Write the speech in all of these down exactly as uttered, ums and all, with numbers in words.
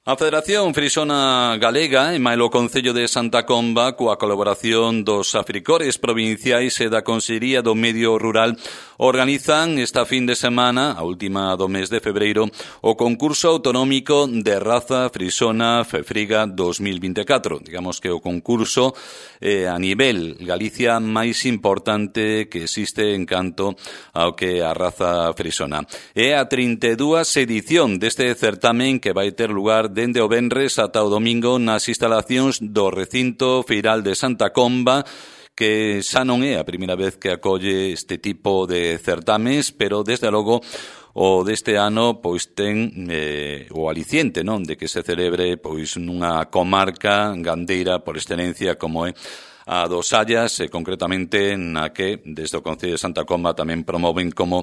A Federación Frisona Galega e mailo Concello de Santa Comba, coa colaboración dos africores provinciais e da Consellería do Medio Rural, organizan esta fin de semana, a última do mes de febreiro, o concurso autonómico de raza frisona Fefriga dos mil vinte e catro. Digamos que o concurso eh, a nivel Galicia máis importante que existe en canto ao que a raza frisona. É a trinta e dúas edición deste certamen que vai ter lugar dende o venres ata o domingo nas instalacións do recinto feiral de Santa Comba, que xa non é a primeira vez que acolle este tipo de certames, pero desde logo o deste ano pois ten eh, o aliciente, non, de que se celebre pois nunha comarca gandeira por excelencia como é a dos Sallas, e concretamente na que desde o Concello de Santa Comba tamén promoven como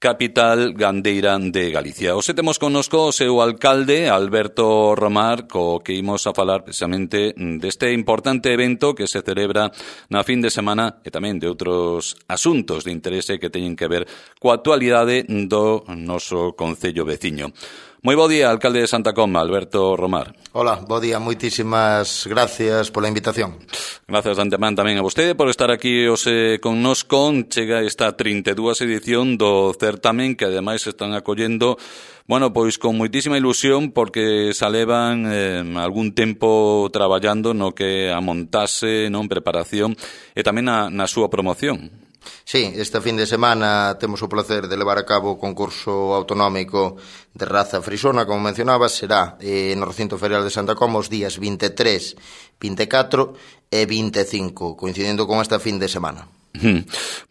capital gandeira de Galicia. Hoxe temos connosco o seu alcalde, Alberto Romar, co que imos a falar precisamente deste importante evento que se celebra na fin de semana e tamén de outros asuntos de interese que teñen que ver coa actualidade do noso concello veciño. Moi bo día, alcalde de Santa Comba, Alberto Romar. Hola, bo día, moitísimas gracias pola invitación. Gracias de antemán tamén a vostede por estar aquí hoxe connosco. Chega esta trinta e dúas edición do certamen que ademais están acollendo, bueno, pois con moitísima ilusión porque se levan eh, algún tempo traballando no que a montase, non, preparación e tamén na, na súa promoción. Sí, esta fin de semana temos o placer de levar a cabo o concurso autonómico de raza frisona, como mencionabas, será eh, no recinto ferial de Santa Comba os días vinte e tres, vinte e catro e vinte e cinco, coincidendo con esta fin de semana.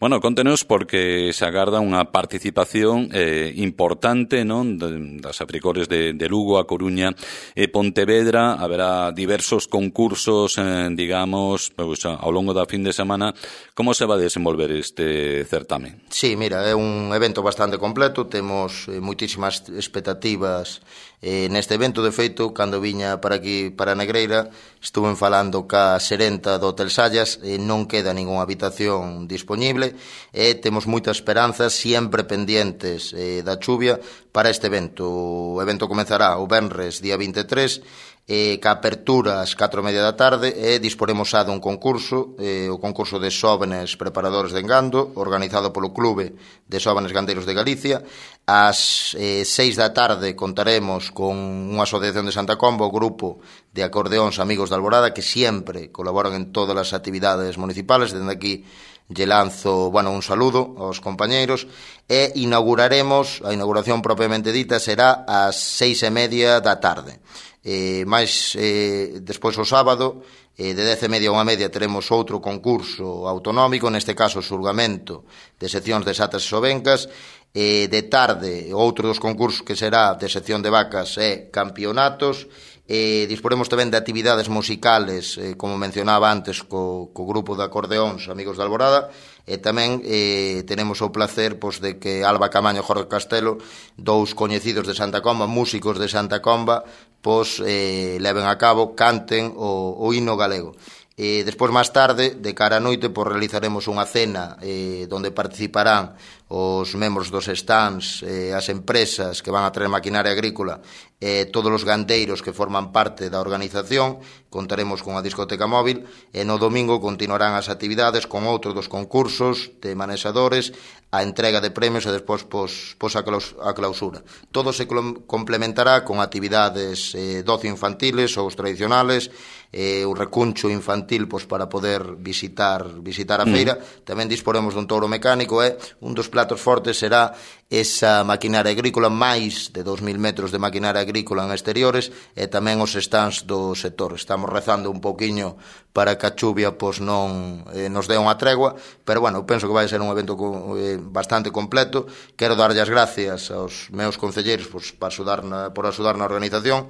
Bueno, contenos porque se agarda unha participación eh, importante, non, das africores de, de Lugo, a Coruña e Pontevedra. Haberá diversos concursos, eh, digamos, pues, ao longo da fin de semana. Como se va a desenvolver este certamen? Sí, mira, é un evento bastante completo. Temos eh, moitísimas expectativas eh, neste evento. De feito, cando viña para aquí, para Negreira, estuven falando ca xerenta do Hotel Sallas, e non queda ningunha habitación disponible e temos moita esperanza, sempre pendientes eh, da chuvia para este evento. O evento comezará o venres día vinte e tres e ca apertura ás catro e media da tarde e disporemos xa dun concurso, eh, o concurso de xóvenes preparadores de engando, organizado polo Clube de Xóvenes Gandeiros de Galicia. Ás eh, seis da tarde contaremos con unha asociación de Santa Comba, o grupo de acordeóns Amigos da Alborada, que sempre colaboran en todas as actividades municipales. Dende aquí lle lanzo, bueno, un saludo aos compañeiros e inauguraremos, a inauguración propiamente dita será ás seis e media da tarde. Eh, máis eh, despois o sábado eh, de dez e media a unha media teremos outro concurso autonómico, neste caso xulgamento de seccións de xatas e sobencas. Eh, de tarde outro dos concursos que será de sección de vacas e campeonatos. Eh, disporemos tamén de actividades musicales, eh, como mencionaba antes, co, co grupo de acordeóns Amigos da Alborada, e tamén eh, tenemos o placer pois, de que Alba Camaño e Jorge Castelo, dous coñecidos de Santa Comba, músicos de Santa Comba, pois eh, leven a cabo, canten o, o himno galego. E despois, máis tarde, de cara a noite, pois, realizaremos unha cena eh, onde participarán os membros dos stands, eh, as empresas que van a traer maquinaria agrícola e eh, todos os gandeiros que forman parte da organización. Contaremos con a discoteca móvil e no domingo continuarán as actividades con outro dos concursos de manexadores, a entrega de premios e despois pos, pos a, claus, a clausura. Todo se complementará con actividades eh, de ocio infantiles ou os tradicionales, eh, o recuncho infantil pois, para poder visitar visitar a feira. Mm. Tamén disporemos dun touro mecánico e un dos platos fortes será esa maquinaria agrícola, máis de dous mil metros de maquinaria agrícola en exteriores e tamén os stands do sector. Estamos rezando un pouquiño para que a chuvia pois, non eh, nos dé unha tregua, pero bueno, penso que vai ser un evento eh, bastante completo. Quero darlle as gracias aos meus concelleiros pois, para axudar na, por axudar na organización,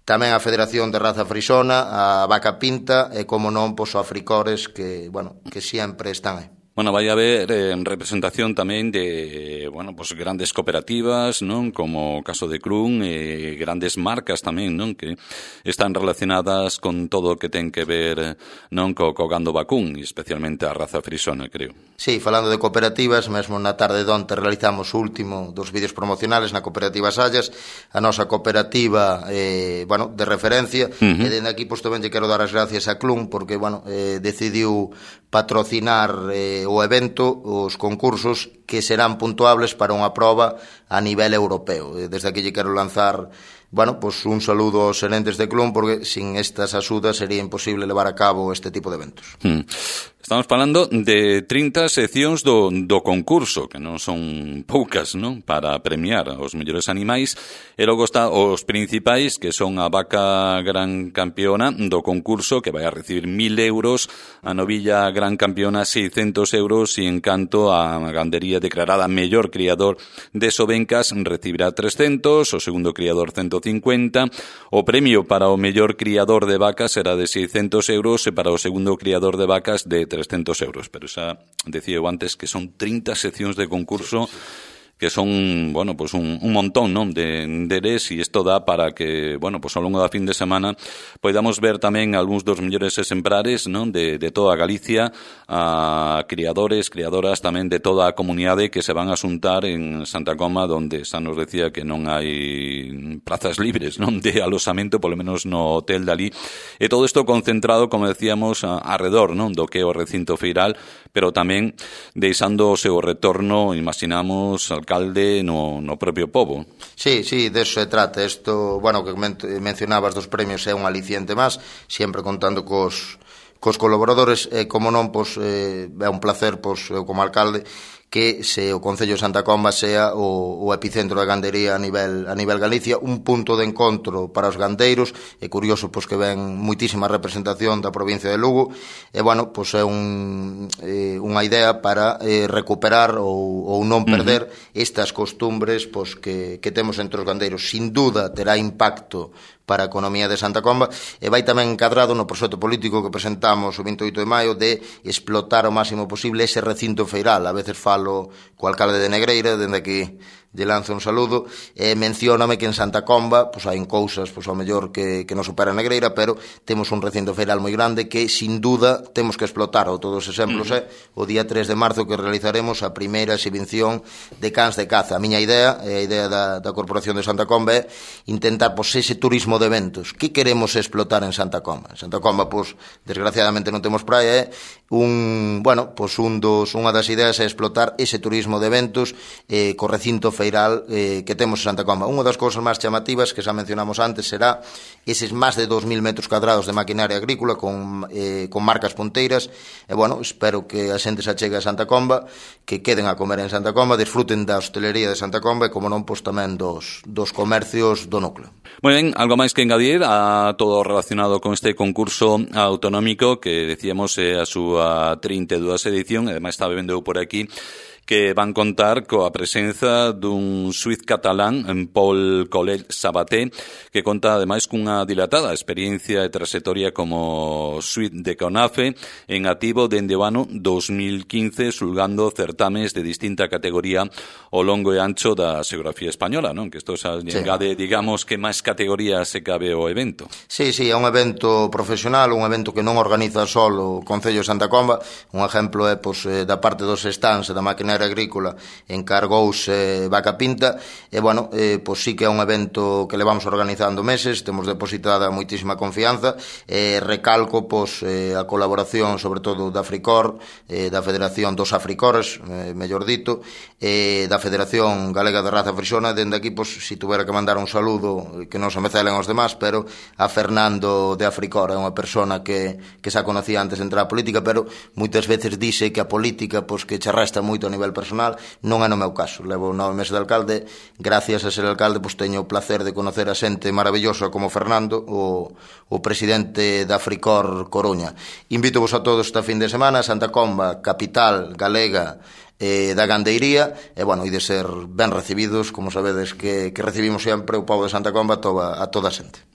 tamén a Federación de Raza Frisona, a Vaca Pinta e, como non, pois, o Africores que, bueno, que sempre están aí. Bueno, vai haber eh, representación tamén de, bueno, pues grandes cooperativas, non? Como o caso de Clun, e eh, grandes marcas tamén, non? Que están relacionadas con todo o que ten que ver, non? Co, co gando vacún, especialmente a raza frisona, creo. Sí, falando de cooperativas, mesmo na tarde de onte realizamos o último dos vídeos promocionales na cooperativa Sallas, a nosa cooperativa, eh, bueno, de referencia, uh-huh. E dende aquí, pois, tamén lle quero dar as gracias a Clun, porque, bueno, eh, decidiu patrocinar eh, o evento, os concursos que serán puntuables para unha proba a nivel europeo. Desde aquí lle quero lanzar, bueno, pues un saludo aos xerentes de Clun, porque sin estas axudas sería imposible levar a cabo este tipo de eventos. Hmm. Estamos falando de trinta seccións do, do concurso, que non son poucas, non? Para premiar os mellores animais, e logo está os principais, que son a vaca gran campeona do concurso, que vai a recibir mil euros, a novilla gran campeona seiscentos euros, e en canto a gandería declarada mellor criador de Sobencas recibirá trescentos, o segundo criador ciento cincuenta, o premio para o mellor criador de vacas será de seiscentos euros, e para o segundo criador de vacas de trescentos euros, pero xa decía eu antes que son trinta seccións de concurso, que son, bueno, pues un, un montón, non, de enderes, e isto dá para que, bueno, pues ao longo da fin de semana podamos ver tamén algúns dos mellores exemplares, non, de, de toda Galicia, a criadores, criadoras tamén de toda a comunidade que se van a xuntar en Santa Coma, donde xa nos decía que non hai plazas libres, non, de alosamento, polo menos no hotel de ali, e todo isto concentrado, como decíamos, a, alrededor, non, do que é o recinto feiral, pero tamén deixando o seu retorno, imaginamos, alcalde no, no propio pobo. Sí, sí, de eso se trata. Isto, bueno, que mencionabas dos premios é un aliciente máis, sempre contando cos, cos colaboradores, e como non, pois, eh, é un placer, pois, eu como alcalde, que se o Concello de Santa Comba sea o, o epicentro da gandería a nivel a nivel Galicia, un punto de encontro para os gandeiros. É curioso, pois, que ven muitísima representación da provincia de Lugo, e, bueno, pois é un, eh, unha idea para eh, recuperar ou, ou non perder uh-huh. estas costumbres, pois, que, que temos entre os gandeiros. Sin duda terá impacto para a economía de Santa Comba, e vai tamén encadrado no proxecto político que presentamos o vinte e oito de maio de explotar ao máximo posible ese recinto feiral. A veces falo co alcalde de Negreira, dende aquí lle lanzo un saludo, e mencióname que en Santa Comba pois hai cousas, pois ao mellor que, que non supera Negreira, pero temos un recinto feiral moi grande que sin duda temos que explotar. O todos os exemplos é eh, o día tres de marzo que realizaremos a primeira exhibición de cans de caza. A miña idea, e a idea da, da Corporación de Santa Comba, é intentar pois ese turismo de eventos. Que queremos explotar en Santa Comba? En Santa Comba, pois, desgraciadamente non temos praia, é un, bueno, pois un dos, unha das ideas é explotar ese turismo de eventos eh, co recinto feiral eh, que temos en Santa Comba. Unha das cousas máis chamativas que xa mencionamos antes será eses máis de dos mil metros cuadrados de maquinaria agrícola con, eh, con marcas punteiras, e, bueno, espero que a xente se achegue a Santa Comba, que queden a comer en Santa Comba, disfruten da hostelería de Santa Comba, e, como non, pois tamén dos, dos comercios do núcleo. Moi ben, algo máis que engadir a todo relacionado con este concurso autonómico que decíamos é a súa trinta e dúas edición, e ademais está vendo por aquí que van contar coa presenza dun suiz catalán, en Paul Collet Sabaté, que conta ademais cunha dilatada experiencia e trayectoria como suiz de CONAFE, en activo dende o ano dos mil quince, xulgando certames de distinta categoría ao longo e ancho da xeografía española, non? Que isto xa sí. engade, digamos, que máis categorías se cabe o evento. Sí, sí, é un evento profesional, un evento que non organiza só o Concello de Santa Comba. Un exemplo é, pois, da parte dos stands da maquinaria agrícola encargouse Vaca Pinta, e, bueno, eh, pois sí que é un evento que levamos organizando meses, temos depositada moitísima confianza, e recalco, pois, eh, a colaboración sobre todo da Africor, eh, da Federación dos Africores, eh, mellor dito, eh, da Federación Galega de Raza Frisona. Dende aquí, pois, si tuvera que mandar un saludo, que non se me celen os demás, pero a Fernando de Africor, é unha persona que, que xa conocía antes de entrar á política, pero moitas veces dice que a política, pois, que che resta moito a nivel personal. Non é no meu caso. Levo nove meses de alcalde, gracias a ser alcalde, pois teño o placer de conocer a xente maravillosa como Fernando, o, o presidente da Africor Coruña. Invito-vos a todos esta fin de semana, Santa Comba, capital galega eh, da gandeiría, e, bueno, e de ser ben recibidos, como sabedes que, que recibimos sempre o pobo de Santa Comba a toda a, toda a xente.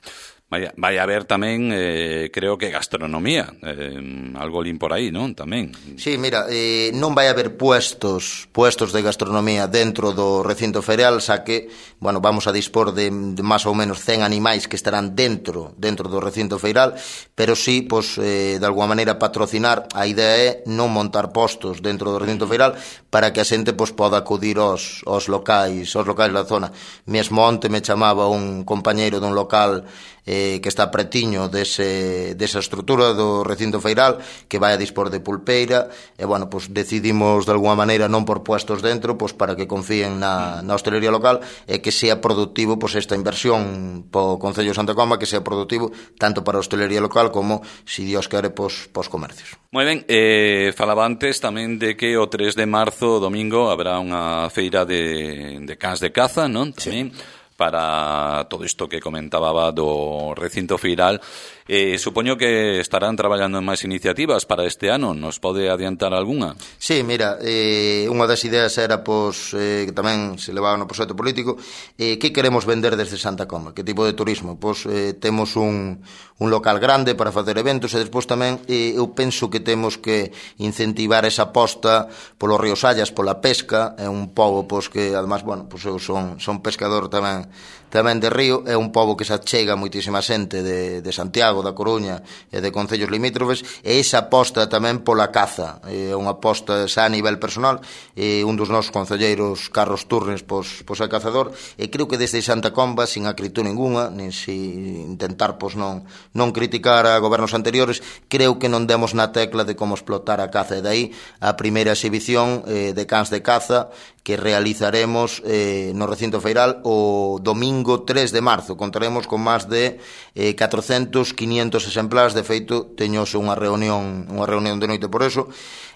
vai, vai haber tamén, eh, creo que gastronomía, eh, algo lín por aí, non? Tamén. Sí, mira, eh, non vai haber puestos puestos de gastronomía dentro do recinto ferial, xa que, bueno, vamos a dispor de, de máis ou menos cen animais que estarán dentro dentro do recinto feiral, pero sí, pois, eh, de alguma maneira patrocinar. A idea é non montar postos dentro do recinto feiral para que a xente, pois, poda acudir aos, aos locais, aos locais da zona. Mesmo onte me chamaba un compañeiro dun local eh, que está pretiño dese, desa estrutura do recinto feiral, que vai a dispor de pulpeira, e, bueno, pues decidimos de alguma maneira non por puestos dentro, pues para que confíen na, na hostelería local e que sea productivo, pues esta inversión po Concello de Santa Comba, que sea productivo tanto para a hostelería local como, si Dios quere, pues, pos comercios. Moi ben, eh, falaba antes tamén de que o tres de marzo, domingo, habrá unha feira de, de cans de caza, non? Tamén. Sí. Para todo isto que comentaba do recinto feiral. Eh, supoño que estarán traballando en máis iniciativas para este ano. Nos pode adiantar algunha? Sí, mira, eh, unha das ideas era, pois, eh, que tamén se levaba no proxecto político, eh, que queremos vender desde Santa Comba, que tipo de turismo. Pois eh, temos un, un local grande para facer eventos, e despois tamén eh, eu penso que temos que incentivar esa aposta polo río Sallas, pola pesca. É un pobo, pois, que además, bueno, pois eu son, son pescador tamén tamén de río, é un pobo que se achega moitísima xente de, de Santiago, da Coruña e de concellos limítrofes, e esa aposta tamén pola caza, é unha aposta xa a nivel personal, e un dos nosos concelleiros, Carlos Turnes, pois, pois é cazador, e creo que desde Santa Comba, sin acritud ninguna, nin si intentar, pois, non, non criticar a gobernos anteriores, creo que non demos na tecla de como explotar a caza, e dai a primeira exhibición eh, de cans de caza que realizaremos eh, no recinto feiral o domingo tres de marzo. Contaremos con máis de eh, catrocentos, quinientos exemplares. De feito, teñose unha reunión unha reunión de noite por eso.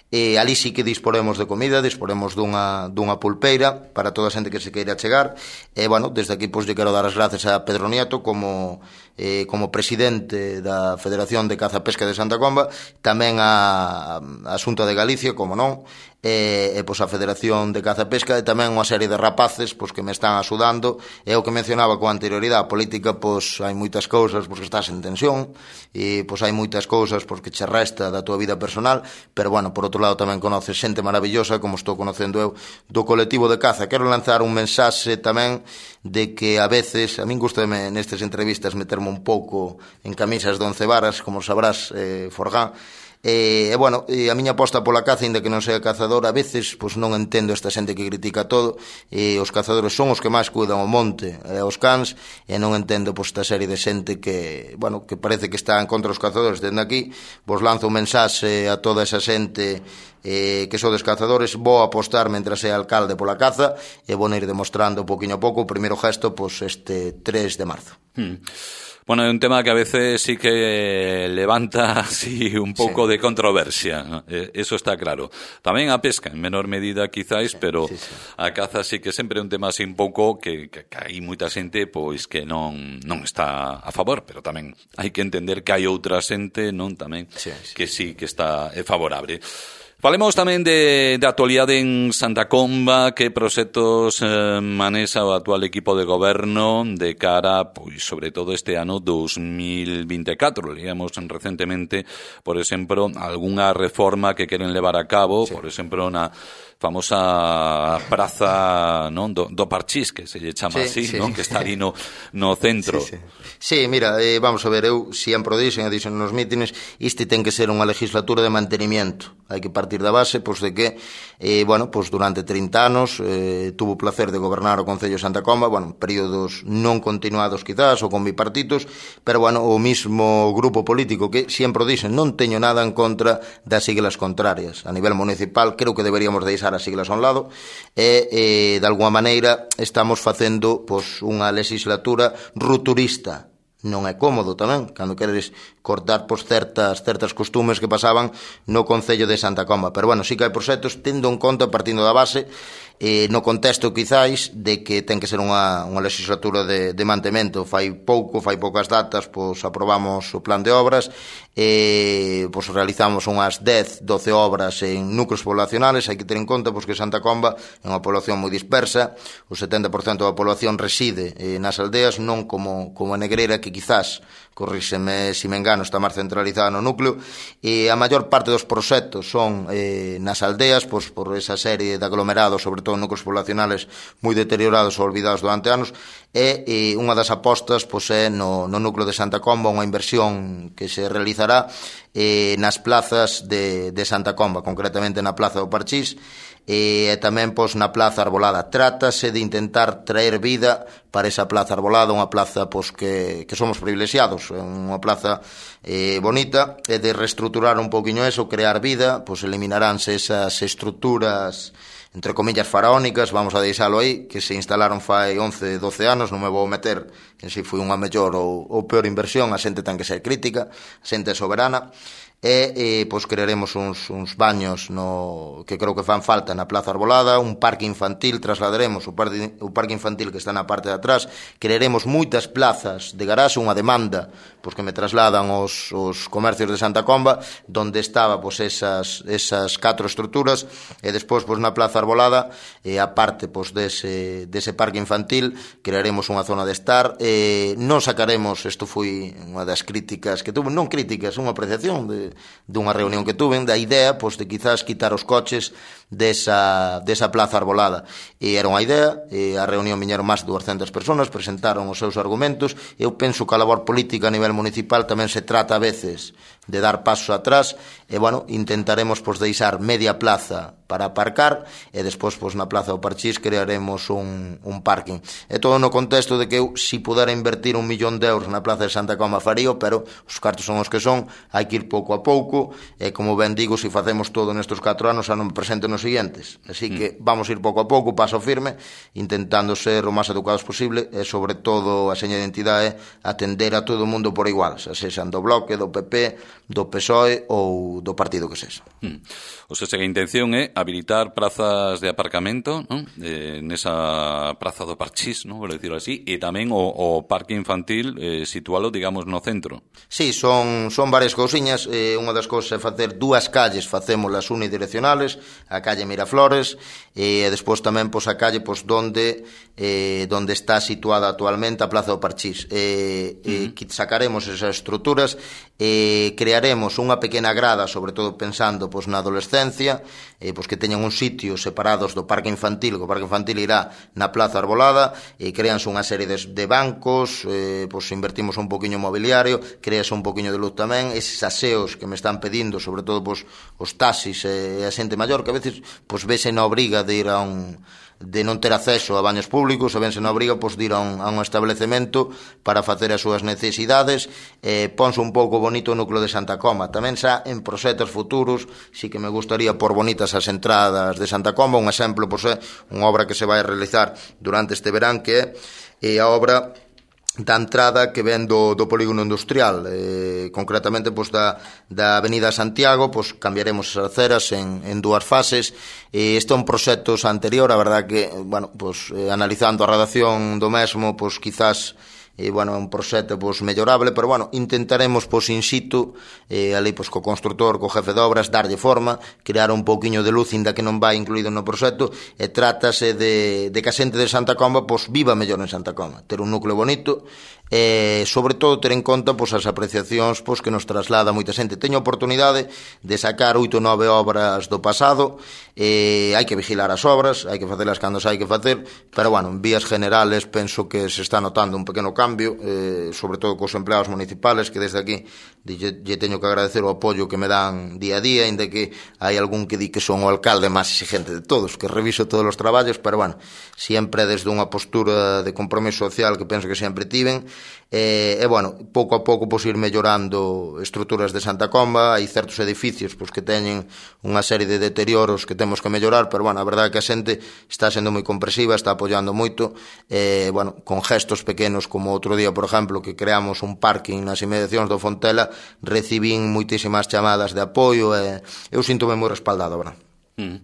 E ali sí que disporemos de comida, disporemos dunha, dunha pulpeira para toda a xente que se queira chegar. E, bueno, desde aquí, pois, lle quero dar as gracias a Pedro Nieto como, eh, como presidente da Federación de Caza Pesca de Santa Comba, tamén a, a Xunta de Galicia, como non, e, e pois a Federación de Caza Pesca, e tamén unha serie de rapaces, pois, que me están axudando. E o que mencionaba con anterioridade, a política, pois, hai moitas cousas, pois, que estás en tensión, e pois hai moitas cousas, pois, que che resta da tua vida personal, pero, bueno, por outro lado tamén conoces xente maravillosa, como estou conocendo eu, do colectivo de caza. Quero lanzar un mensaxe tamén de que a veces, a min gustame nestas entrevistas meterme un pouco en camisas de once varas, como sabrás, eh, Forgán. E, e, bueno, e a miña aposta pola caza, ainda que non sea cazador, a veces, pois, non entendo esta xente que critica todo, e os cazadores son os que máis cuidan o monte e os cans, e non entendo, pois, esta serie de xente que, bueno, que parece que está en contra dos cazadores. Dende aquí, vos lanzo un mensaxe a toda esa xente eh, que sodes cazadores. Vou apostar, mentras sea alcalde, pola caza, e vou ir demostrando poquinho a pouco. O primeiro gesto, pois, este tres de marzo. Hmm. Bueno, é un tema que a veces sí que levanta así un pouco sí. de controversia, ¿no? Eso está claro. Tamén a pesca, en menor medida quizáis, sí, pero sí, sí. a caza sí que sempre é un tema así un pouco que, que, que hai moita xente pois que non non está a favor, pero tamén hai que entender que hai outra xente, non, tamén, sí, sí. que sí que está é favorable. Falemos tamén de, de actualidade en Santa Comba, que proxectos eh, manexa o actual equipo de goberno de cara, pois, sobre todo este ano dos mil vinte e catro. Leíamos recentemente, por exemplo, algunha reforma que queren levar a cabo, sí. por exemplo, na famosa praza, non, do, do Parchís, que se lle chama sí, así, sí. non, que está ali no, no centro. Sí, sí. sí mira, eh, vamos a ver, eu sempre o dixen, dixen nos mítines, isto ten que ser unha legislatura de mantenimiento. Hai que partir da base, pois, de que, eh, bueno, pois, durante trinta anos eh, tuvo o placer de gobernar o Concello de Santa Comba, bueno, períodos non continuados quizás, ou con bipartitos, pero, bueno, o mismo grupo político que sempre o dixen, non teño nada en contra das siglas contrarias. A nivel municipal, creo que deberíamos deixar as siglas a un lado, e, e de alguma maneira estamos facendo, pois, unha legislatura rupturista. Non é cómodo tamén, cando queres cortar, pois, certas, certas costumes que pasaban no Concello de Santa Comba. Pero, bueno, sí que hai proxectos, tendo en conta, partindo da base, eh, no contexto, quizáis, de que ten que ser unha, unha legislatura de, de mantemento. Fai pouco, fai poucas datas, pois, aprobamos o plan de obras, e, pois, realizamos unhas dez, doce obras en núcleos poblacionales. Hai que ter en conta, pois, que Santa Comba é unha población moi dispersa, o setenta por cento da población reside eh, nas aldeas, non como, como a Negreira, que quizás, corríxeme se me engano, está máis centralizada no núcleo, e a maior parte dos proxectos son eh, nas aldeas, pois, por esa serie de aglomerados, sobre todo núcleos poblacionales moi deteriorados ou olvidados durante anos, e, e unha das apostas pois, é no, no núcleo de Santa Comba unha inversión que se realizará eh, nas plazas de, de Santa Comba, concretamente na Plaza do Parchís, e tamén pois na Plaza Arbolada. Trátase de intentar traer vida para esa Plaza Arbolada, unha plaza pois que, que somos privilexiados, unha plaza eh, bonita, e de reestruturar un poquinho eso, crear vida, pois eliminaránse esas estruturas entre comillas faraónicas, vamos a deixalo aí, que se instalaron fai once, doce anos, non me vou meter en se foi unha mellor ou, ou peor inversión, a xente ten que ser crítica, a xente é soberana, e eh, pois crearemos uns, uns baños no, que creo que fan falta na Plaza Arbolada, un parque infantil, trasladaremos o parque, o parque infantil que está na parte de atrás, crearemos moitas plazas de garaxe, unha demanda pois que me trasladan os, os comercios de Santa Comba, donde estaba pois esas, esas catro estruturas, e despois pois na Plaza Arbolada, e a parte pois dese, dese parque infantil, crearemos unha zona de estar, e non sacaremos, isto foi unha das críticas que tuve, non críticas, unha apreciación de dunha reunión que tuven, da idea pois, de quizás quitar os coches desa, desa Plaza Arbolada, e era unha idea, e a reunión viñeron máis de duascentas persoas, presentaron os seus argumentos. Eu penso que a labor política a nivel municipal tamén se trata a veces de dar pasos atrás, e bueno, intentaremos pois, deixar media plaza para aparcar, e despois pois, na Plaza do Parchís crearemos un, un parking, e todo no contexto de que eu, si pudera invertir un millón de euros na Plaza de Santa Comba farío, pero os cartos son os que son, hai que ir pouco a pouco, e como ben digo, se facemos todo nestes catro anos, xa non me presento nos siguientes, así que vamos ir pouco a pouco, paso firme, intentando ser o máis educados posible, e sobre todo a seña de identidade atender a todo o mundo por igual, xa sexan do Bloque, do P P, do P S O E ou do partido que sexa. Hmm. O sea, que a intención é habilitar prazas de aparcamento, ¿no? Eh, nesa Praza do Parchís, ¿no? Por decirlo así, e tamén o, o parque infantil eh, situalo, digamos, no centro. Sí, son, son varias cousiñas. Eh, unha das cousas é facer dúas calles, facémolas unidireccionales, a calle Miraflores, e despois tamén pois, a calle pois, donde, eh, donde está situada actualmente a Plaza do Parchís. Eh, uh-huh. eh, sacaremos esas estruturas, eh, crearemos unha pequena grada, sobre todo pensando pois, na adolescencia, eh, pois, que teñan un sitio separados do parque infantil, que o parque infantil irá na Plaza Arbolada, e creanse unha serie de, de bancos, eh, pois, invertimos un poquinho en mobiliario, crease un poquinho de luz tamén, eses aseos que me están pedindo, sobre todo pois, os taxis e a xente maior, que a veces pois, vese na obriga de ir a un de non ter acceso a baños públicos, e vense na obriga pois, de ir a un, a un establecemento para facer as súas necesidades, eh, ponse un pouco bonito o núcleo de Santa Comba. Tamén xa en proxectos futuros sí que me gustaría por bonitas as entradas de Santa Comba. Un exemplo pois, é unha obra que se vai a realizar durante este verán, que é a obra da entrada que ven do, do polígono industrial, eh, concretamente pois, da, da Avenida Santiago, pois, cambiaremos as aceras en, en dúas fases. Eh, este é un proxecto anterior, a verdad que, bueno, pois, eh, analizando a redacción do mesmo, pois, quizás e, bueno, é un proxecto pois, mellorable, pero, bueno, intentaremos, pois, in situ, eh, ali, pois, co constructor, co jefe de obras, darlle forma, crear un pouquiño de luz, inda que non vai incluído no proxecto, e trátase de, de que a xente de Santa Comba, pois, viva mellor en Santa Comba, ter un núcleo bonito, e, sobre todo, ter en conta, pois, as apreciacións, pois, que nos traslada moita xente. Teño a oportunidade de sacar oito ou nove obras do pasado, e hai que vigilar as obras, hai que facelas cando se hai que facer, pero, bueno, en vías generales, penso que se está notando un pequeno cambio, cambio, eh, sobre todo cos empleados municipales, que desde aquí lle, lle teño que agradecer o apoio que me dan día a día, ainda que hai algún que di que son o alcalde máis exigente de todos, que reviso todos os traballos, pero, bueno, sempre desde unha postura de compromiso social que penso que sempre tiven, e, e bueno, pouco a pouco pois, ir mellorando estruturas de Santa Comba. Hai certos edificios pois, que teñen unha serie de deterioros que temos que mellorar, pero, bueno, a verdade é que a xente está sendo moi comprensiva, está apoiando moito, e, bueno, con gestos pequenos, como outro día, por exemplo, que creamos un parking nas inmediacións do Fontela, recibín moitísimas chamadas de apoio, e eu síntome moi respaldado, verdad? Mm.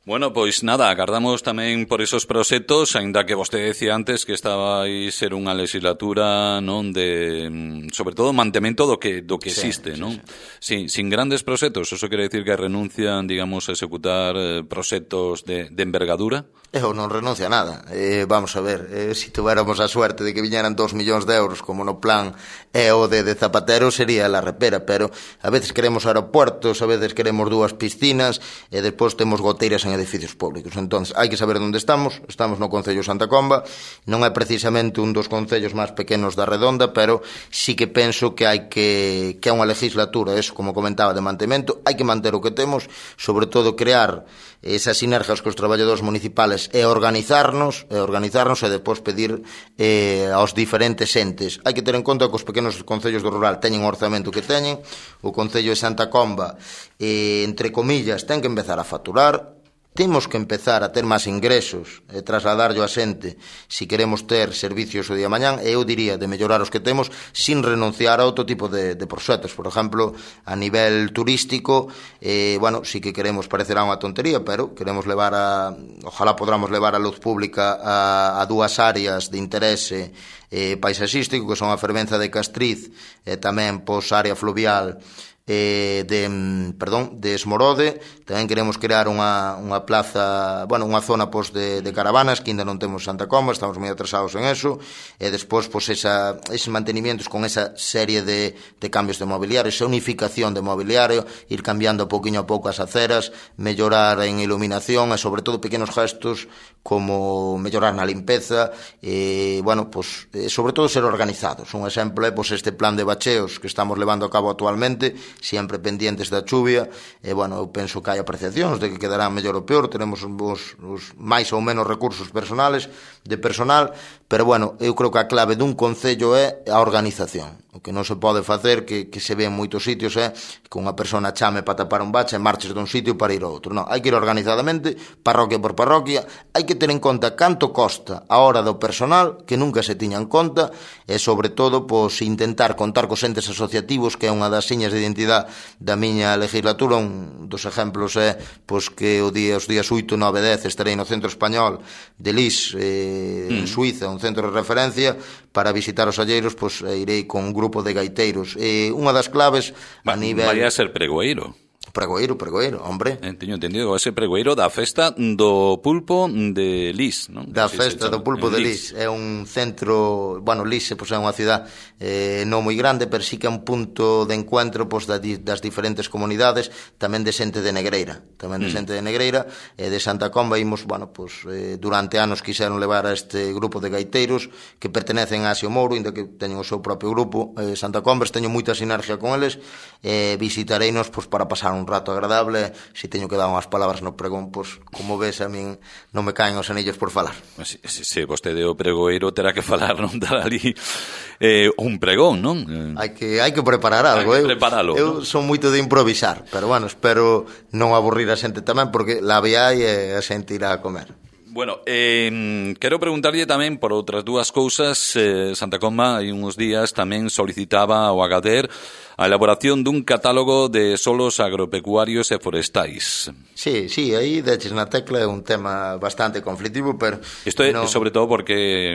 Bueno, pois nada, agardamos tamén por esos proxectos, aínda que vostede decía antes que estaba aí ser unha legislatura, non, de sobre todo mantemento do que do que sí, existe, sí, non? Sí. Sí, sin grandes proxectos, eso quere decir que renuncian, digamos, a executar eh, proxectos de, de envergadura? Eu non renuncio a nada. Eh, vamos a ver, eh, se si tuéramos a suerte de que viñeran dos millóns de euros como no plan E O D de Zapatero, sería la repera, pero a veces queremos aeropuertos, a veces queremos dúas piscinas e despois temos goteiras en edificios públicos. Entón, hai que saber onde estamos. Estamos no Concello de Santa Comba, non é precisamente un dos concellos máis pequenos da Redonda, pero sí que penso que hai que que é unha legislatura, eso, como comentaba, de mantemento. Hai que manter o que temos, sobre todo crear esas sinergias cos traballadores municipales e organizarnos, e organizarnos e depois pedir eh, aos diferentes entes. Hai que ter en conta que os pequenos concellos do rural teñen o orzamento que teñen. O Concello de Santa Comba, eh, entre comillas, ten que empezar a facturar. Temos que empezar a ter máis ingresos e trasladarlo a xente se queremos ter servicios o día mañán, e eu diría de mellorar os que temos sin renunciar a outro tipo de, de proxectos. Por exemplo, a nivel turístico, eh, bueno, sí que queremos, parecerá unha tontería, pero queremos levar a, ojalá podamos levar a luz pública a, a dúas áreas de interese eh, paisaxístico, que son a Fervenza de Castriz e tamén pois área fluvial eh, de, perdón, de Esmorode. Tamén queremos crear unha, unha plaza, bueno, unha zona pois, de, de caravanas, que ainda non temos Santa Comba, estamos moi atrasados en eso, e despois pois, esa, eses mantenimientos con esa serie de, de cambios de mobiliario, esa unificación de mobiliario, ir cambiando pouquinho a pouco as aceras, mellorar en iluminación e sobre todo pequenos gestos como mellorar na limpeza, e, bueno, pois, sobre todo ser organizados. Un exemplo é pois, este plan de bacheos que estamos levando a cabo actualmente, sempre pendientes da chuvia, e, bueno, eu penso que hai apreciacións de que quedará mellor ou peor, teremos os, os máis ou menos recursos personales, de personal, pero, bueno, eu creo que a clave dun concello é a organización. O que non se pode facer, que, que se ve en moitos sitios, é que unha persona chame para tapar un bache e marches dun sitio para ir ao outro. Non, hai que ir organizadamente, parroquia por parroquia, hai que ter en conta canto costa a hora do personal, que nunca se tiña en conta, e, sobre todo, pois, intentar contar cos entes asociativos, que é unha das señas de identidade da miña legislatura. Un dos exemplos é pois, que o día, os días oito, nove e dez estarei no Centro Español de Lis, eh, mm. en Suiza, un centro de referencia, para visitar os alleiros, pois, irei con un grupo de gaiteiros. E unha das claves a Va, nivel... Vai a ser pregoeiro. Pregoeiro, pregoeiro, hombre. Eh, teño entendido, vai ser pregoeiro da festa do pulpo de Lis, non? Da si festa do pulpo de Lis. Lis. É un centro, bueno, Lis pois, é unha cidade eh, non moi grande, pero sí que é un punto de encuentro pois, das, das diferentes comunidades, tamén de xente de Negreira, tamén de mm. xente de Negreira, e de Santa Comba. Imos, bueno, pois, eh, durante anos quixeron levar a este grupo de gaiteiros que pertenecen a Asio Mouro, inda que teñen o seu propio grupo, eh, Santa Comba, teño moita sinergia con eles, e eh, visitareinos pois, para pasar un rato agradable. Se teño que dar unhas palabras no pregón, pois, como ves, a min non me caen os anillos por falar. Se, se, se vostede o pregoeiro terá que falar, non dar ali eh, un pregón, non? Hai que, hai que preparar algo. Hai que preparalo, eu, eu non? son moito de improvisar, pero, bueno, espero non aburrir a xente tamén, porque la viai e a xente irá a comer. Bueno, eh, quero preguntarlle tamén por outras dúas cousas. eh, Santa Comba hai uns días tamén solicitaba ao Agader a elaboración dun catálogo de solos agropecuarios e forestais. Sí, sí, aí deches na tecla, é un tema bastante conflictivo, pero... Isto é no... sobre todo porque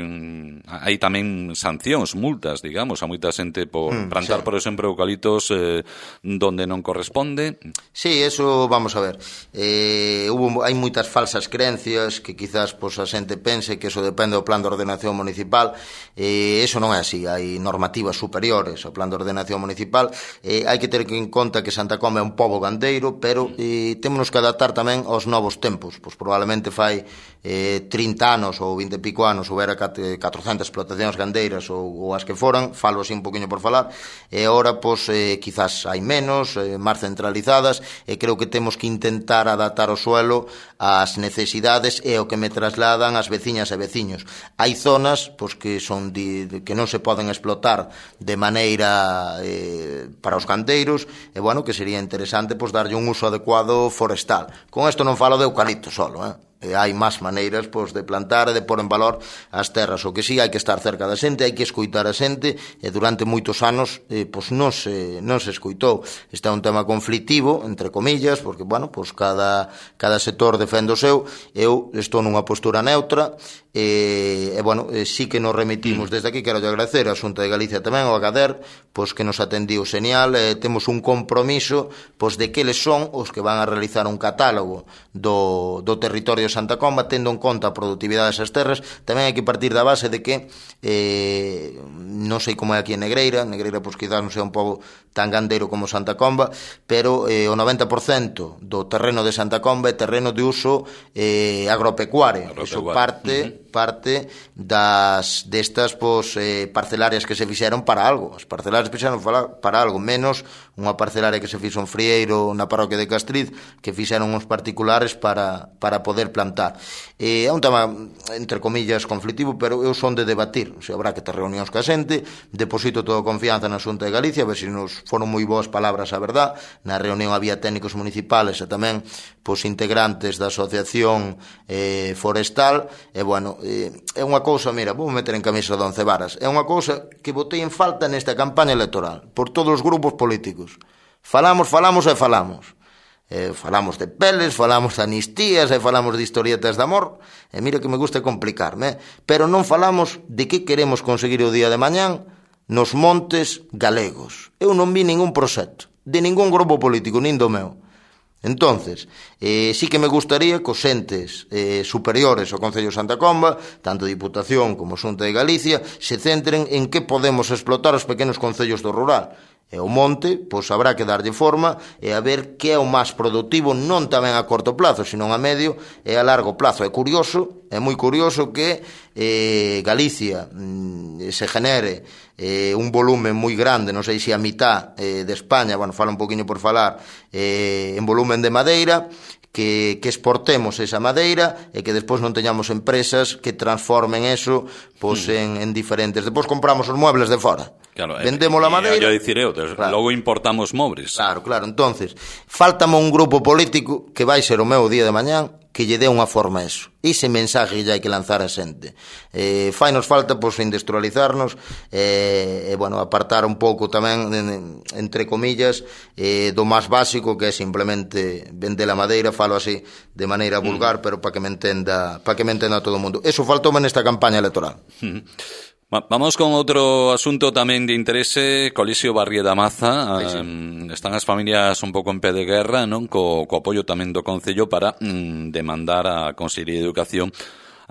hai tamén sancións, multas, digamos, a moita xente por mm, plantar, sí. por exemplo, eucaliptos eh, donde non corresponde. Sí, eso, vamos a ver. Eh, hubo, hai moitas falsas creencias que quizás pues, a xente pense que eso depende do plan de ordenación municipal. Eh, eso non é así, hai normativas superiores ao plan de ordenación municipal. Eh, hai que ter en conta que Santa Comba é un pobo gandeiro, pero eh, temos que adaptar tamén aos novos tempos. Pois probablemente fai eh, trinta anos ou vinte e pico anos houbera catrocentas explotacións gandeiras ou, ou as que foran, falo así un poquinho por falar, e agora pois, eh, quizás hai menos, eh, máis centralizadas, e creo que temos que intentar adaptar o suelo ás necesidades e o que me trasladan as veciñas e veciños. Hai zonas pois, que son de, de, que non se poden explotar de maneira eh, para os canteiros, e bueno, que sería interesante pois, darlle un uso adecuado forestal. Con isto non falo de eucalipto solo, eh? E hai máis maneiras pois, de plantar e de pôr en valor as terras. O que sí, hai que estar cerca da xente, hai que escoitar a xente, e durante moitos anos eh, pois non se, non se escoitou. Este é un tema conflictivo, entre comillas, porque, bueno, pois cada, cada sector defende o seu. Eu estou nunha postura neutra, e, e bueno, e sí que nos remitimos desde aquí. Quero agradecer a Xunta de Galicia tamén, ao Agader, pois que nos atendiu señal, e temos un compromiso pois de que eles son os que van a realizar un catálogo do, do territorio de Santa Comba, tendo en conta a productividade desas terras. Tamén hai que partir da base de que eh, non sei como é aquí en Negreira. Negreira, pois quizás non sea un pouco tan gandeiro como Santa Comba, pero eh, o noventa por cento do terreno de Santa Comba é terreno de uso eh, agropecuario. agropecuario. Iso parte, uh-huh. parte das destas pois, eh, parcelarias que se fixeron para algo. As parcelarias se fixeron para algo, menos unha parcelaria que se fixo en Frieiro na parroquia de Castriz, que fixeron uns particulares para, para poder plantar. Eh, é un tema, entre comillas, conflictivo, pero eu son de debatir. O sea, habrá que ter reunións ca xente. Deposito toda a confianza na Xunta de Galicia, a ver se nos foron moi boas palabras a verdad. Na reunión había técnicos municipales e tamén pois, integrantes da asociación eh, forestal. E, bueno, eh, é unha cousa, mira, vou meter en camisa de once varas, é unha cousa que botei en falta nesta campaña electoral, por todos os grupos políticos. Falamos, falamos e falamos. Eh, falamos de peles, falamos de anistías e falamos de historietas de amor, e mira que me gusta complicarme, eh? Pero non falamos de que queremos conseguir o día de mañán nos montes galegos. Eu non vi ningún proxecto de ningún grupo político, nin do meu. Entonces, eh, sí que me gustaría que os entes eh, superiores ao Concello de Santa Comba, tanto Diputación como Xunta de Galicia, se centren en que podemos explotar os pequenos concellos do rural. E o monte, pois habrá que darlle forma e a ver que é o máis productivo, non tamén a corto plazo, sino a medio e a largo plazo. É curioso, é moi curioso que eh, Galicia mm, se genere eh, un volumen moi grande, non sei se a mitad eh, de España, bueno, fala un poquinho por falar, eh, en volumen de madeira, que, que exportemos esa madeira e que despois non teñamos empresas que transformen eso pois, mm. en, en diferentes. Despois compramos os muebles de fora. Claro, vendemos a madeira. Eu dicir eu, claro. Logo importamos móveis. Claro, claro. Entonces, faltame un grupo político que vai ser o meu día de mañán que lle dé unha forma a eso. Ese mensaje lle hai que lanzar a xente. Eh, fai nos falta, pois, industrializarnos e, eh, bueno, apartar un pouco tamén, entre comillas, eh, do máis básico, que é simplemente vender a madeira, falo así de maneira vulgar, mm. pero para que me entenda, para que me entenda todo o mundo. Eso faltou nesta campaña electoral. Mm. Vamos con outro asunto tamén de interese, Colexio Barrie da Maza. Sí, sí. Um, están as familias un pouco en pé de guerra, non? Co, co apoio tamén do Concello para um, demandar a Consellería de Educación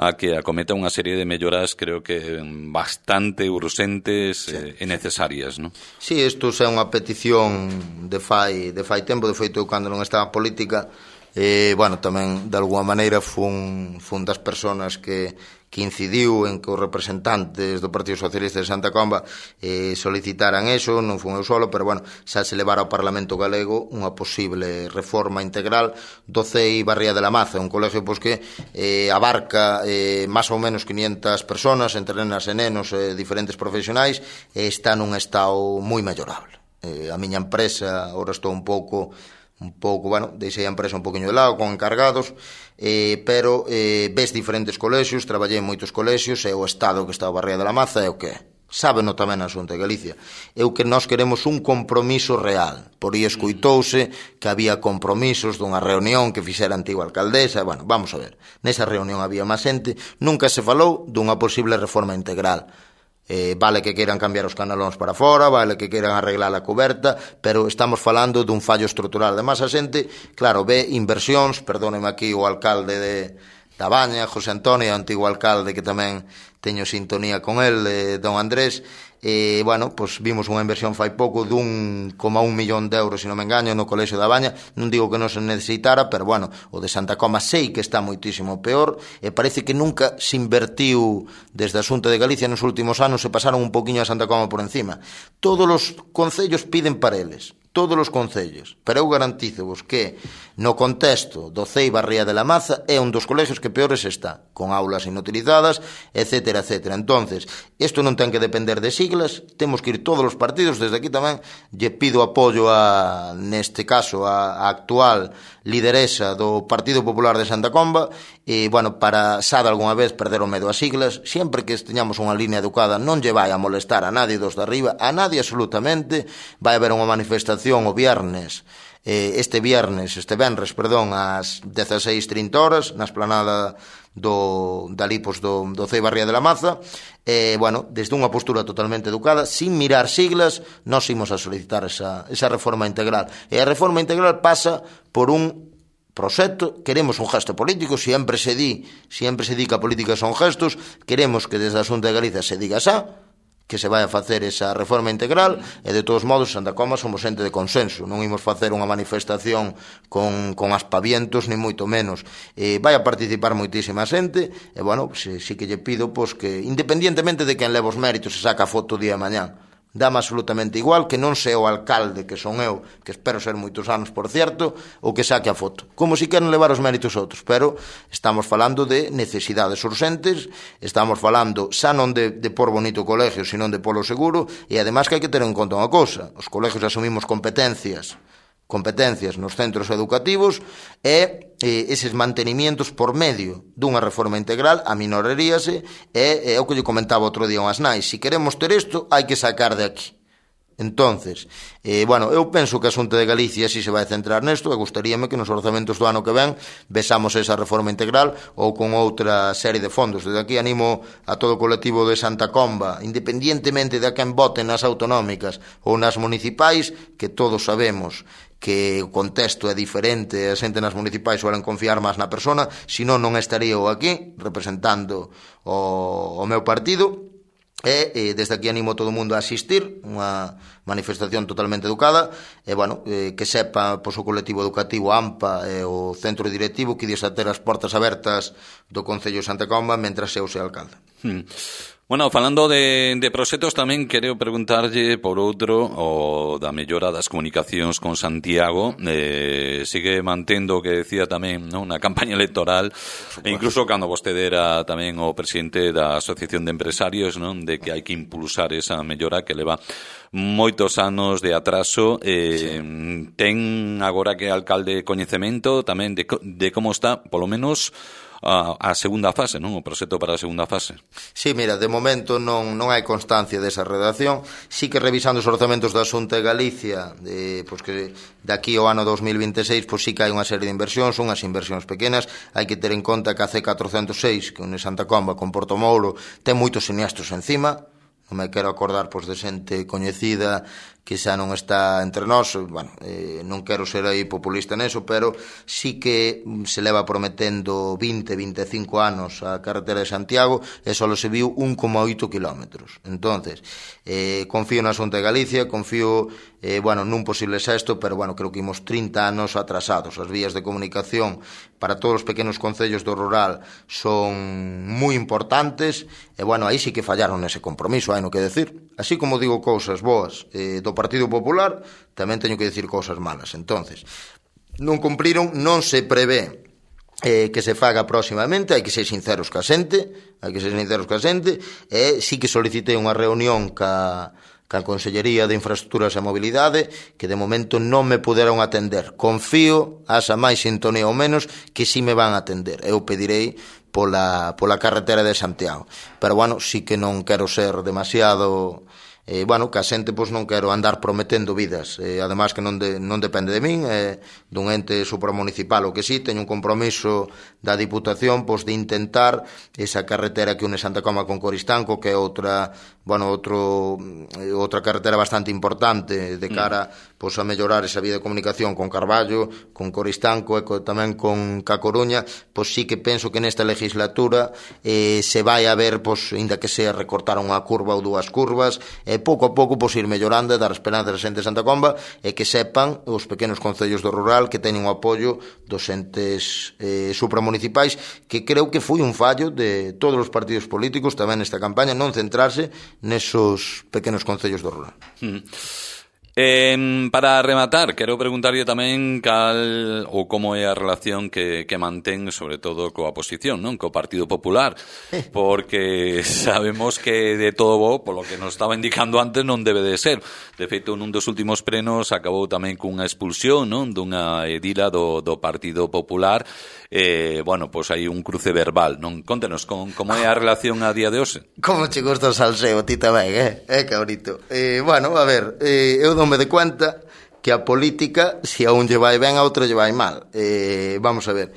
a que acometa unha serie de melloras, creo que bastante urxentes, sí, e necesarias, non? Sí, isto é unha petición de fai, de fai tempo, de feito, cando non estaba política, eh, bueno, tamén, de alguma maneira, fun, fun das persoas que que incidiu en que os representantes do Partido Socialista de Santa Comba eh, solicitaran eso, non fun eu solo, pero bueno, xa se levara ao Parlamento Galego unha posible reforma integral do C E I Barría de la Maza, un colegio pois, que eh, abarca eh, máis ou menos quinientas persoas, entre nenas e nenos e eh, diferentes profesionais, e está nun estado moi mellorable. Eh, a miña empresa, ahora estou un pouco... un pouco, bueno, deixei a empresa un poquinho de lado con encargados, eh, pero eh, ves diferentes colexios, traballei en moitos colexios, e o estado que está a Barría de la Maza é o que é. Sábeno tamén a Xunta de Galicia. É o que nós queremos un compromiso real. Por aí escoitouse que había compromisos dunha reunión que fixera a antiga alcaldesa. Bueno, vamos a ver. Nesa reunión había máis xente. Nunca se falou dunha posible reforma integral. Eh, vale que queiran cambiar os canalóns para fora, vale que queiran arreglar a coberta, pero estamos falando dun fallo estrutural. Además, a xente, claro, ve inversións, perdóneme aquí o alcalde de da Baña, José Antonio, o antigo alcalde, que tamén teño sintonía con el, eh, don Andrés, e, bueno, pues vimos unha inversión fai pouco dun coma un millón de euros, se non me engaño, no Colexio da Baña. Non digo que non se necesitara, pero, bueno, o de Santa Coma sei que está moitísimo peor, e parece que nunca se invertiu desde a Xunta de Galicia nos últimos anos, se pasaron un poquinho a Santa Coma por encima. Todos os concellos piden para eles, todos os concellos, pero eu garantízovos que no contexto do Ceiba Ría de la Maza é un dos colegios que peores está, con aulas inutilizadas, etcétera, etcétera. Entonces, isto non ten que depender de siglas, temos que ir todos os partidos, desde aquí tamén lle pido apoio a, neste caso, a, a actual lideresa do Partido Popular de Santa Comba, e, bueno, para xa de algunha vez perder o medo a siglas, sempre que teñamos unha línea educada non lle vai a molestar a nadie dos de arriba, a nadie absolutamente. Vai haber unha manifestación o viernes, este viernes, este venres, perdón, ás dezaseis e trinta horas, na esplanada do, da Lipos do, do Ceiba Ría de la Maza, e, bueno, desde unha postura totalmente educada, sin mirar siglas, nós imos a solicitar esa, esa reforma integral. E a reforma integral pasa por un proxecto, queremos un gesto político, sempre se di, sempre se di que a política son gestos, queremos que desde a Xunta de Galicia se diga xa, que se vai a facer esa reforma integral, e de todos modos Santa Comba somos xente de consenso, non imos facer unha manifestación con, con aspavientos, ni moito menos. E vai a participar moitísima xente, e, bueno, si, si que lle pido, pois, que independientemente de quen leva os méritos se saca a foto o día de mañán, dame absolutamente igual que non sea o alcalde, que son eu, que espero ser moitos anos, por cierto, o que saque a foto, como si queren levar os méritos outros, pero estamos falando de necesidades urgentes, estamos falando xa non de, de por bonito colegio, sino de polo seguro, e ademais que hai que ter en conta unha cousa, os colegios asumimos competencias competencias nos centros educativos e, e eses mantenimientos por medio dunha reforma integral aminoraríase, e, e o que lle comentaba outro día unhas nais, se queremos ter isto hai que sacar de aquí. Entonces, eh, bueno, eu penso que a Xunta de Galicia si se vai centrar nesto, e gustaríame que nos orzamentos do ano que ven besamos esa reforma integral ou con outra serie de fondos. Desde aquí animo a todo o colectivo de Santa Comba, independientemente de a quen voten nas autonómicas ou nas municipais, que todos sabemos que o contexto é diferente, a xente nas municipais suelen confiar máis na persona, senón non estaría eu aquí representando o, o meu partido. E, e desde aquí animo a todo o mundo a asistir, unha manifestación totalmente educada, e, bueno, eh, que sepa, pois, o colectivo educativo AMPA e o centro directivo que dies a ter as portas abertas do Concello de Santa Comba mentras eu sea alcalde. Hmm. Bueno, falando de, de proxectos, tamén quero preguntarlle por outro, o da mellora das comunicacións con Santiago. Eh, sigue mantendo o que decía tamén, non, na campaña electoral, e incluso cando vostede era tamén o presidente da Asociación de Empresarios, non, de que hai que impulsar esa mellora que leva moitos anos de atraso. Eh, sí. Ten agora que alcalde coñecemento tamén de, de como está, polo menos, a, a segunda fase, non? O proxecto para a segunda fase. Sí, mira, de momento non, non hai constancia desa redacción. Sí que revisando os orzamentos da Xunta de Galicia, de, pois que de aquí ao ano dos mil vinte e seis, pois sí que hai unha serie de inversións, unhas inversións pequenas. Hai que ter en conta que a C catrocentos e seis, que une Santa Comba con Porto Mouro, ten moitos siniestros encima. Non me quero acordar, pois, de xente coñecida que xa non está entre nós. Bueno, eh, non quero ser aí populista neso, pero sí que se leva prometendo vinte, vinte e cinco anos a carretera de Santiago e só se viu un coma oito kilómetros. Entonces, eh, confío na Xunta de Galicia, confío, eh, bueno, nun posible sexto, pero, bueno, creo que imos trinta anos atrasados. As vías de comunicación para todos os pequenos concellos do rural son moi importantes e, bueno, aí sí que fallaron nese compromiso, hai no que decir. Así como digo cousas boas eh, do Partido Popular, tamén teño que decir cousas malas. Entonces, non cumpriron, non se prevé eh, que se faga próximamente, hai que ser sinceros ca xente, hai que ser sinceros ca xente, e sí que solicitei unha reunión ca, ca Consellería de Infraestructuras e Mobilidade, que de momento non me puderon atender. Confío, asa máis sintonía ou menos, que sí me van a atender. Eu pedirei pola, pola carretera de Santiago. Pero, bueno, sí que non quero ser demasiado... Eh, bueno, que a xente, pois, non quero andar prometendo vidas. Eh, ademais que non, de, non depende de min, eh, dun ente supramunicipal, o que sí, teño un compromiso da Diputación, pois, de intentar esa carretera que une Santa Comba con Coristanco, que é outra, bueno, outro, eh, outra carretera bastante importante de cara, pois, a mellorar esa vía de comunicación con Carballo, con Coristanco e co, tamén con Ca Coruña. Pois sí que penso que nesta legislatura eh, se vai a ver, pois, inda que sea recortar unha curva ou dúas curvas, e pouco a pouco pois ir mellorando e dar esperanza a xente de Santa Comba, e que sepan os pequenos concellos do rural que teñen o apoio dos entes eh, supramunicipais, que creo que foi un fallo de todos os partidos políticos tamén nesta campaña, non centrarse nesos pequenos concellos do rural. Mm. Eh, para rematar, quero preguntarlle tamén cal ou como é a relación que, que mantén, sobre todo, coa oposición, non? Co Partido Popular, porque sabemos que de todo bo, polo que nos estaba indicando antes, non debe de ser. De feito, nun dos últimos plenos acabou tamén cunha expulsión, non? Dunha edila do, do Partido Popular. Eh, bueno, pois pues hai un cruce verbal, non? Contenos, con, como é a relación a día de hoxe? Como che gusta o salseo, ti tamén, eh? Eh, cabrito. Eh, bueno, a ver, eh, eu dome de cuenta que a política, se a un lle vai ben, a outro lle vai mal. Eh, vamos a ver.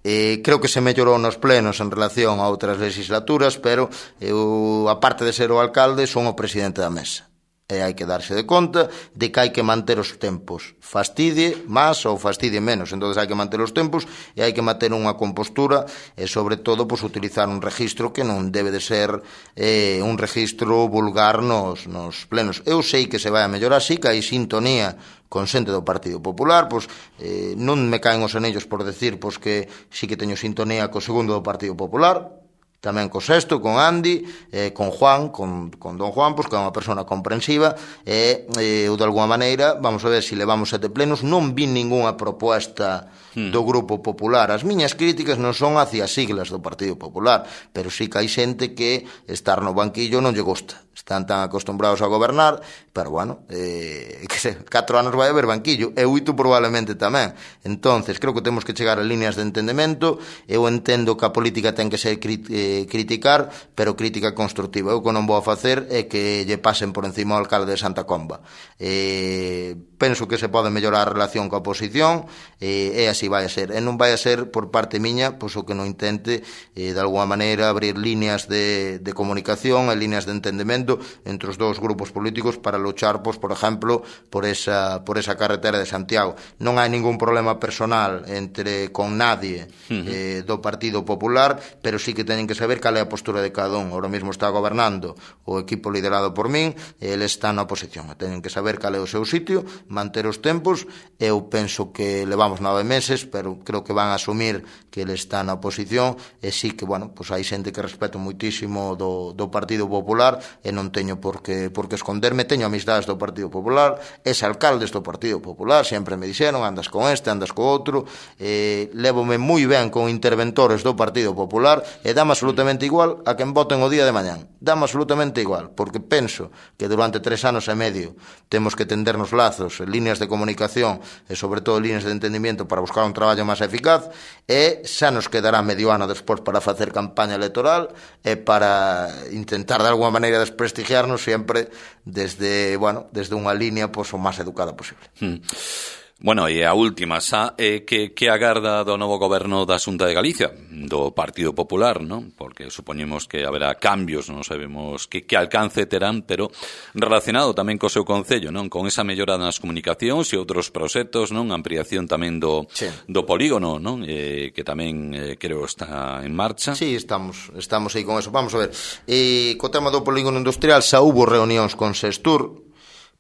Eh, creo que se mellorou nos plenos en relación a outras legislaturas, pero eu, aparte de ser o alcalde, son o presidente da mesa. E hai que darse de conta de que hai que manter os tempos. Fastidie máis ou fastidie menos. Entón hai que manter os tempos e hai que manter unha compostura e, sobre todo, pues, utilizar un registro que non debe de ser eh, un registro vulgar nos, nos plenos. Eu sei que se vai a mellorar, sí que hai sintonía con xente do Partido Popular, pois eh, non me caen os anellos por decir pois que sí que teño sintonía co segundo do Partido Popular, tamén co sexto, con Andy, eh, con Juan, con, con don Juan, pois que é unha persona comprensiva, e eh, eu de alguma maneira, vamos a ver se levamos sete plenos, non vi ningunha proposta hmm. do Grupo Popular. As miñas críticas non son hacia as siglas do Partido Popular, pero sí que hai xente que estar no banquillo non lle gusta. Están tan acostumbrados a gobernar, pero bueno, eh, que se, catro anos vai haber banquillo, e oito probablemente tamén. Entonces, creo que temos que chegar a líneas de entendemento. Eu entendo que a política ten que ser crit, eh, criticar, pero crítica constructiva. Eu que non vou a facer é que lle pasen por encima ao alcalde de Santa Comba. Eh, penso que se pode mellorar a relación coa oposición, eh, e así vai a ser. E non vai a ser por parte miña, pois o que non intente, eh, de alguma maneira, abrir líneas de, de comunicación e líneas de entendemento entre os dous grupos políticos para luchar, pois, por exemplo, por esa, por esa carretera de Santiago. Non hai ningún problema personal entre con nadie eh, do Partido Popular, pero sí que teñen que saber cal é a postura de cada un. Ahora mesmo está gobernando o equipo liderado por min, e ele está na oposición. Teñen que saber cal é o seu sitio, manter os tempos. Eu penso que levamos nove meses, pero creo que van a asumir que ele está na oposición, e sí que, bueno, pois hai xente que respeto muitísimo do, do Partido Popular, e non teño por que, por que esconderme. Teño amistades do Partido Popular, es alcaldes do Partido Popular, sempre me dixeron, andas con este, andas co outro, eh, levome moi ben con interventores do Partido Popular, e dame absolutamente igual a quen voten o día de mañán, dame absolutamente igual, porque penso que durante tres anos e medio temos que tendernos lazos, líneas de comunicación e sobre todo líneas de entendimiento para buscar un traballo máis eficaz, e xa nos quedará medio ano despois para facer campaña electoral e para intentar de alguma maneira desprestigiarnos sempre desde, bueno, desde unha línea pois, o máis educada posible. Hmm. Bueno, e a última xa é que, que agarda do novo goberno da Xunta de Galicia, do Partido Popular, non? Porque supoñemos que haberá cambios, non sabemos que, que alcance terán, pero relacionado tamén co seu concello, non? Con esa mellora nas comunicacións e outros proxectos, non? Ampliación tamén do, sí. do polígono, non? Eh, que tamén eh, creo está en marcha. Sí, estamos, estamos aí con eso. Vamos a ver, eh, co tema do polígono industrial xa hubo reunións con Sestur,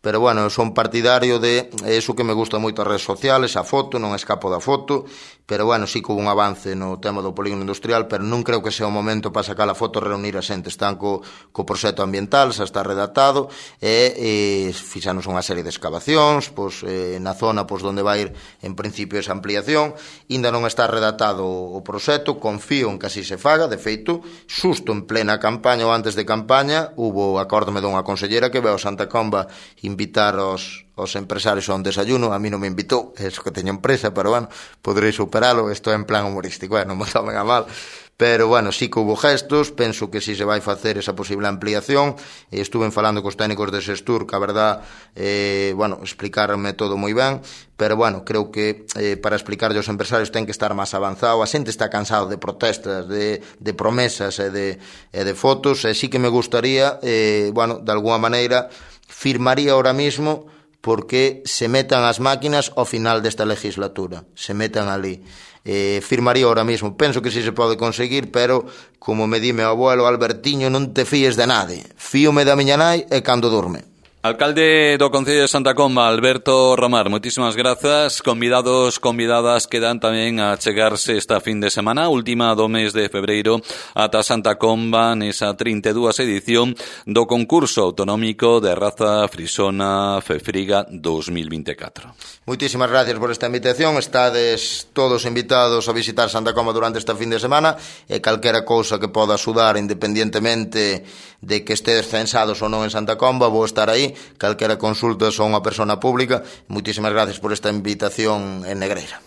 pero bueno, eu son partidario de eso que me gusta moito as redes sociales, a foto, non escapo da foto, pero bueno, sí que hubo un avance no tema do polígono industrial, pero non creo que sea o momento para sacar a foto e reunir a xente. Están co, co proxecto ambiental, xa está redactado, e, e fixanos unha serie de excavacións, pois, eh, na zona pois, onde vai ir en principio esa ampliación. Ainda non está redactado o proxecto, confío en que así se faga. De feito, xusto en plena campaña ou antes de campaña, hubo, acórdome dunha consellera que veo a Santa Comba invitar os, os empresarios a un desayuno. A mí non me invitou, eso que teño empresa, pero bueno, podrei superalo, isto é en plan humorístico, eh, non me tomen a mal. Pero bueno, sí que hubo gestos, penso que si se vai facer esa posible ampliación. Estuve falando cos técnicos de Sestur, que a verdad, eh, bueno, explicarme todo moi ben, pero bueno, creo que eh, para explicarlle aos empresarios ten que estar máis avanzado. A xente está cansado de protestas, de, de promesas e de, e de fotos, e sí que me gustaría, eh, bueno, de alguna maneira, firmaría ahora mismo porque se metan as máquinas ao final desta legislatura, se metan ali. Eh, firmaría ahora mismo. Penso que si se pode conseguir, pero como me di meu abuelo Albertiño, non te fíes de nade. Fíome da miña nai e cando durme. Alcalde do Concello de Santa Comba, Alberto Romar, moitísimas grazas. Convidados, convidadas quedan tamén a chegarse esta fin de semana, última do mes de febreiro, ata Santa Comba nesa trinta e dúas edición do concurso autonómico de raza frisona Fefriga dos mil vinte e catro. Moitísimas gracias por esta invitación. Estades todos invitados a visitar Santa Comba durante esta fin de semana e calquera cousa que poda axudar, independientemente de que estedes censados ou non en Santa Comba, vou estar aí. Calquera consulta son unha persona pública. Moitísimas gracias por esta invitación en Negreira.